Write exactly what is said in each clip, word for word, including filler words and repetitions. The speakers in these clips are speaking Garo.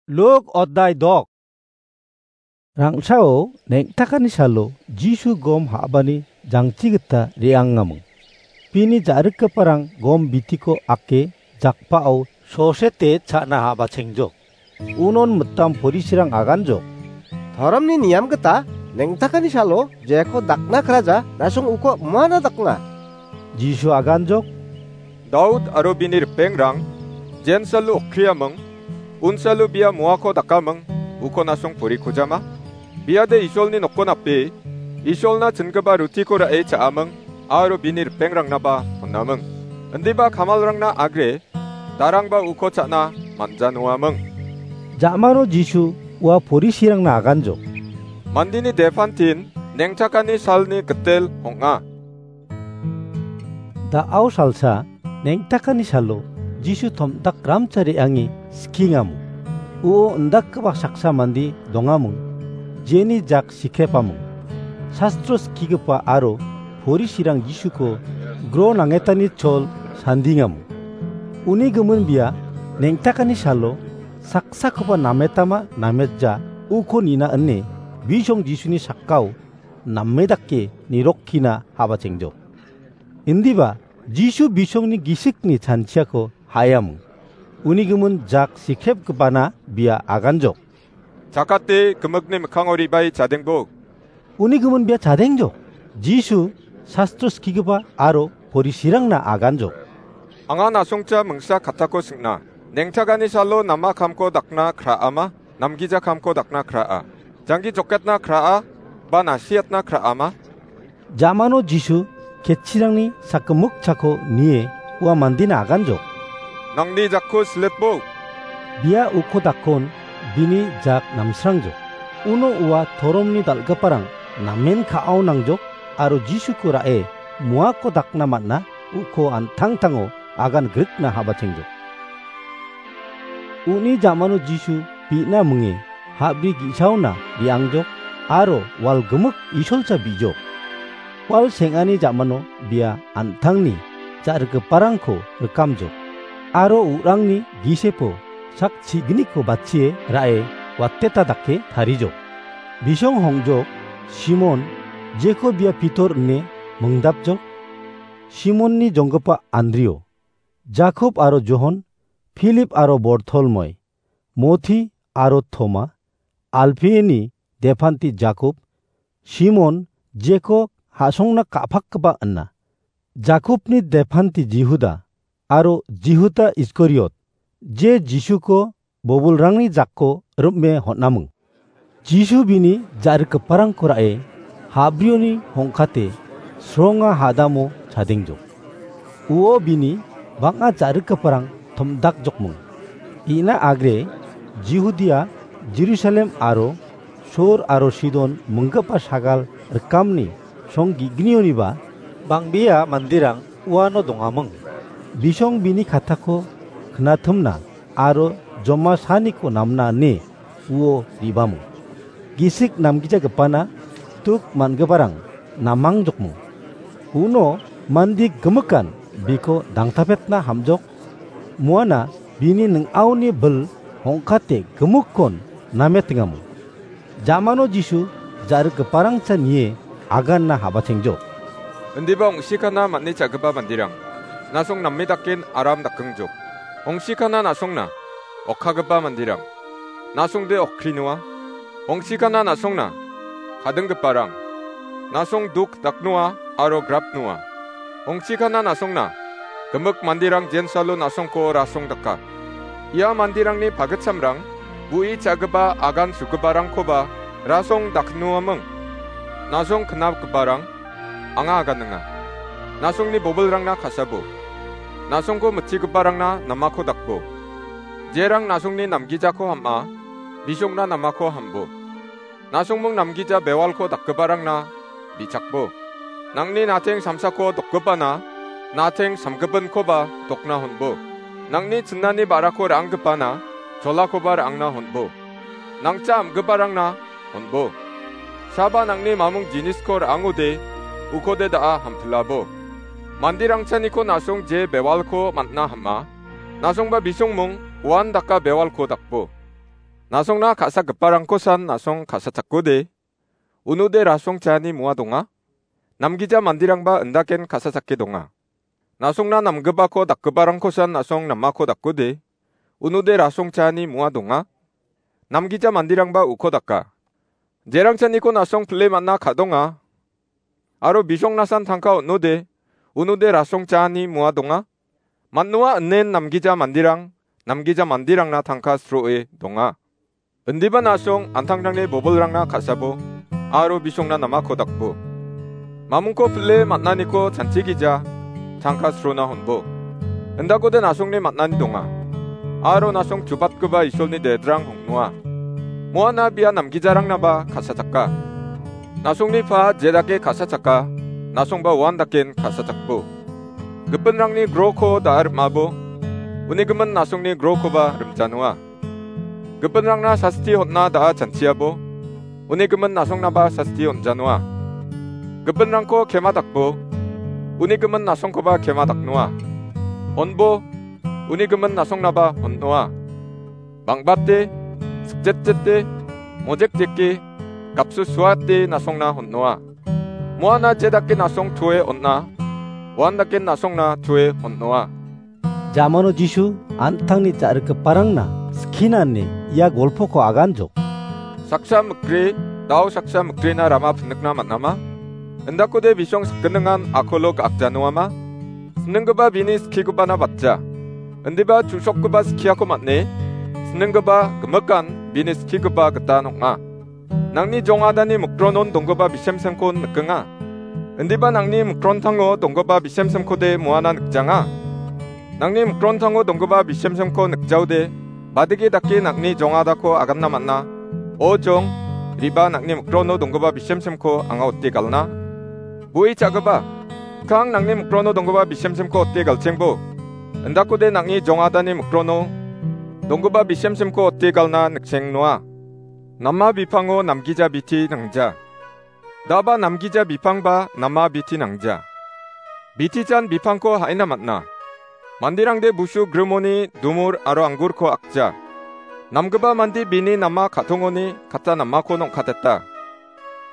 Luk odai dok. Rang·chao neng·takani salo Jisu gom ha·bani jangchi gita re·angaming. Bini ja·rikgiparang gom bitiko ake jakpao sosete cha·na ha·bachengjok. Unon mitam porisirang aganjok. Toromni niam gita neng·takani salo jeko dakna kraja nasong uko muana dakna. Jisu aganjok. Daud aro bini ripengrang jensalo okriaming, unsalo bia muako dakaming, uko nasong porikojama. Biade Isolni nokko nape, Isolna chingipa rutiko ra·e cha·aming, aro bini ripengrangnaba honaming. Indiba kamalrangna agre, darangba uko cha·na manja noaming. Ja·mano Jisu ua porisirangna aganjok. Mandini depantin neng·takani salni gitel ong·a. Da·ao salsa neng·takani salo Jisu tom·dak ramcha re·ange skingamo. Uo indakgipa saksa mande dongaming, jeni jak sikrepaming. Sastro skigipa aro porisirang Jisuko gro nangetani chol sandingamo. Uni gimin bia neng·takani salo saksakoba nametama nametja uko nina ine bisong Jisuni sakao name dake nirokkina habachengjok. Indiba Jisu bisongni gisikni chanchiako ha·eaming. Uni gimin jak sikrepgipana bia aganjok. Chakate gimikni mikkango ribai chadengbo. Uni gimin bia chadengjok. Jisu sastro skigipa aro porisirangna aganjok. Anga nasongcha mingsa katako singna. Neng·takani salo nama kamko dakna kra·ama, namgija kamko dakna kra·a. Janggi joketna kra·a, ba nasiatna kra·ama. Ja·mano Jisu ketchirangni sakgimik chako nie ua mandena aganjok. Nangni jakko siletbo. Bia uko dakon bini jak namsrangjok. Uno ua toromni dal·giparang namen ka·ao nangjok aro Jisuko ra·e muako dakna man·a uko an·tangtango agan grikna habachengjok. Uni ja·mano Jisu bi·na minge ha·bri ge·saona re·angjok aro walgimik Isolcha bi·jok. Wal seng·ani ja·mano bia an·tangni ja·rikgiparangko rikamjok aro u·rangni gisepo sak chigniko batchie ra·e wateta dake tarijok. Bisong hongjok Simon, jeko bia Pitor ine mingdapjok, Simonni jonggipa Andrio, Jakob aro Johon, Pilip aro Bortolmoi, Moti aro Toma, Alpieni depanti Jakob, Simon, jeko ha·songna ka·pakgipa ina, Jakobni depanti Jihuda, aro Jihuda Iskariot, je Jisuko bobolrangni jakko rim·e hon·aming. Jisu bini ja·rikgiparangko ra·e ha·brioni hongkate sronga hadamo chadengjok. Uo bini bang·a ja·rikgiparang tom·dakjokming. Ina agre Jihudia, Jerusalem aro Sor aro Sidon minggipa sagal rikamni song ge·gnioniba bang·bea manderang uano dongaming. Bisong bini katako knatimna aro joma saniko namna ine uo re·baming. Gisik namgijagipana duk man·giparang namangjokming. Uno mande gimikan biko dangtapetna ham·jok. Muana bini ning·aoni bil hongkate gimikkon nametengaming. Ja·mano Jisu ja·rikgiparangcha nie aganna habachengjok. Indiba ong·sikana man·e cha·gipa manderang, nasong name daken aram dakengjok. Ong·sikana na·songna okkagipa manderang, nasongde okri noa. Ong·sikana na·songna kadinggiparang, nasong duk daknoa aro grap noa. Ong·sikana na·songna gimik manderang jensalo na·songko rasong daka. Ia manderangni pagitchamrang bu·i cha·gipa agan sugiparangkoba rasong daknoaming. Na·song knapgiparang anga aganenga. Na·songni bobilrangna kasabo. Na·songko mitchigiparangna namako dakbo. Jerang na·songni namgijako ham·a, bisongna namako hambo. Na·songming namgija bewalko dakgiparangna bichakbo. Nangni na·teng samsako dokgipana na·teng samgipinkoba dokna honbo. Nangni chinani ba·rako ra·anggipana cholakoba ra·angna honbo. Nangcha am·giparangna honbo. Saba nangni mamung jinisko ra·angode ukode da·a hamtilabo. Manderangchaniko na·song je bewalko man·na ham·a, na·songba bisongmung uan daka bewalko dakbo. Nasongna ka·sagiparangkosan nasong ka·sachakode, unode rasong chaani moa donga. Namgija manderangba indaken ka·sachake donga. Nasongna namgipako dakgiparangkosan nasong namako dakode, unode rasong chaani moa donga. Namgija manderangba uko daka. Jerangchaniko nasong pile man·a ka·donga. Aro bisongnasan tangka on·ode, unode rasong chaani moa donga. Man·oa inen namgija manderang, namgija manderangna tangka sroe donga. Indiba nasong antangtangni bobolrangna ka·sabo, aro bisongna namako dakbo. Mamungko pile man·aniko chanchigija, tangka srona honbo. Indakode nasongni man·ani donga. Aro nasong chubatgipa Isolni dedrang ong·noa. Moana bia namgijarangnaba ka·sachaka. Nasongni pa jedake ka·sachaka, nasongba uan daken ka·sachakbo. Gipinrangni groko da·a rim·abo, uni gimin nasongni grokoba rimjanoa. Gipinrangna sasti on·na da·a chanchiabo, uni gimin nasongnaba sasti on·janoa. Gipinrangko kema dakbo, uni gimin nasongkoba kema daknoa. Honbo, uni gimin nasongnaba honnoa. Bang·bate, sikjetjete, mojekjeke, gapsusuate nasongna honnoa. Moana jedake nasong toe on·a, uandake nasongna toe honnoa. Jamano Jisu an·tangni ja·rikgiparangna skinani ia golpoko aganjok. Saksa mikri, dao saksa mikrina rama pinikna man·ama? Indakode bisong sakgningan akolo ga·akjanoama? Sininggipa bini skigipana batja. Indiba chu·sokgipa skiako man·e, sininggipa gimikan bini skigipa gitan ong·a. Nangni jong·adani mikronon donggipa bisemsemko nikenga. Indiba nangni mikrontango donggipa bisemsemkode moana nikjanga. Nangni mikrontango donggipa bisemsemko nikjaode, badege dake nangni jong·adako aganna man·a. O jong, riba nangni mikrono donggipa bisemsemko anga ote galna. Bui cha·gipa, kang nangni mikrono donggipa bisemsemko ote galchengbo. Indakode nangni jong·adani mikrono donggipa bisemsemko ote galna nikchengnoa. Nama bipango namgija biti nangja. Daba namgija bipangba nama biti nangja. Bitijan bipangko ha·ina man·a. Manderangde busu grimoni dumur aro anggurko akja. Namgipa mande bini nama ka·tongoni kata namako ong·kateta.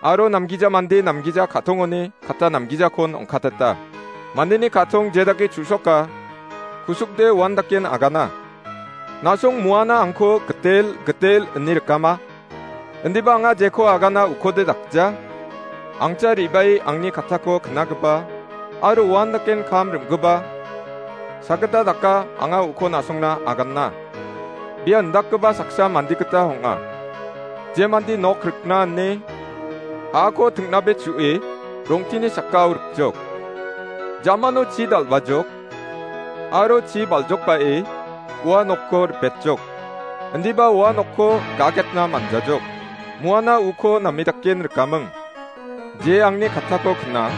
Aro namgija mande namgija ka·tongoni kata namgijakon ong·kateta. Mandeni ka·tong jedake chu·soka, kusukde uandaken agana. Nasong muana angko gitel, gitel ine rikama. Indiba anga jeko agana ukode dakja. Angcha re·bae angni katako knagipa aro uandaken kam rim·gipa. Sakgita daka anga uko nasongna aganna. Bia indakgipa saksa mande gita ong·a. Je mande nok rikna ine ha·ako ting·nabe chu·e rongteni sakao rikjok. Jamano chi dal·bajok. Aro chi baljokbae ua nokko ripetjok. Indiba ua nokko gagetna manjajok. Muana uko name daken rikaming. Je angni katako kna,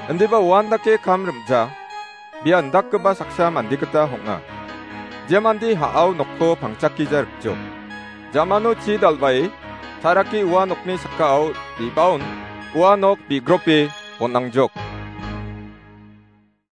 indiba uan dake kam rim·ja, bia indakgipa saksa mande gita ong·a. Je mande ha·ao nokko pangchakgija rikjok. Jamano chi dal·bae tarake ua nokni sakao re·baon ua nok bigrope bon·angjok.